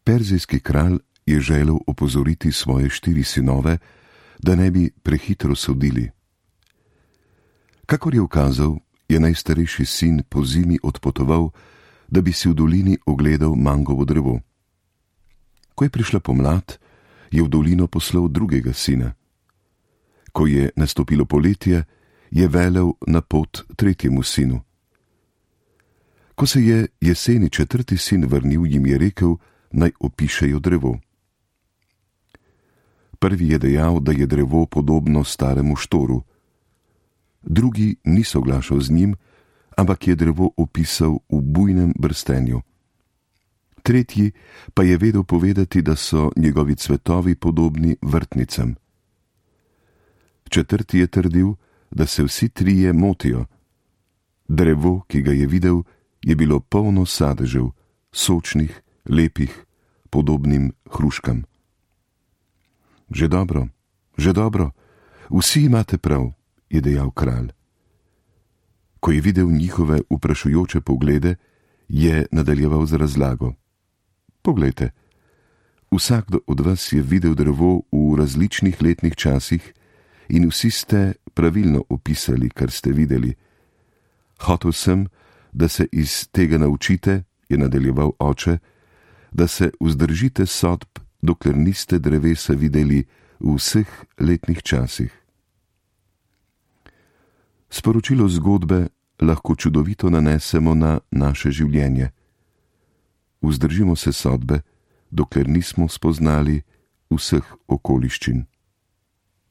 Perzijski kralj je želel opozoriti svoje 4 sinove, da ne bi prehitro sodili. Kakor je ukazal, je najstarejši sin po zimi odpotoval, da bi si v dolini ogledal mangovo drevo. Ko je prišla pomlad, je v dolino poslal drugega sina. Ko je nastopilo poletje, je velel na pot 3. sinu. Ko se je jeseni 4. sin vrnil, jim je rekel, naj opišejo drevo. Prvi je dejal, da je drevo podobno staremu štoru. Drugi ni soglašal z njim, ampak je drevo opisal v bujnem brstenju. Tretji pa je vedel povedati, da so njegovi cvetovi podobni vrtnicam. Četrti je trdil, da se vsi trije motijo. Drevo, ki ga je videl, je bilo polno sadežev, sočnih, lepih, podobnim hruškam. Že dobro, vsi imate prav, je dejal kralj. Ko je videl njihove vprašujoče poglede, je nadaljeval z razlago. Poglejte, vsakdo od vas je videl drevo v različnih letnih časih in vsi ste pravilno opisali, kar ste videli. Hotel sem, da se iz tega naučite, je nadaljeval oče, da se vzdržite sodb, dokler niste drevesa videli v vseh letnih časih. Sporočilo zgodbe lahko čudovito nanesemo na naše življenje. Vzdržimo se sodbe, dokler nismo spoznali vseh okoliščin.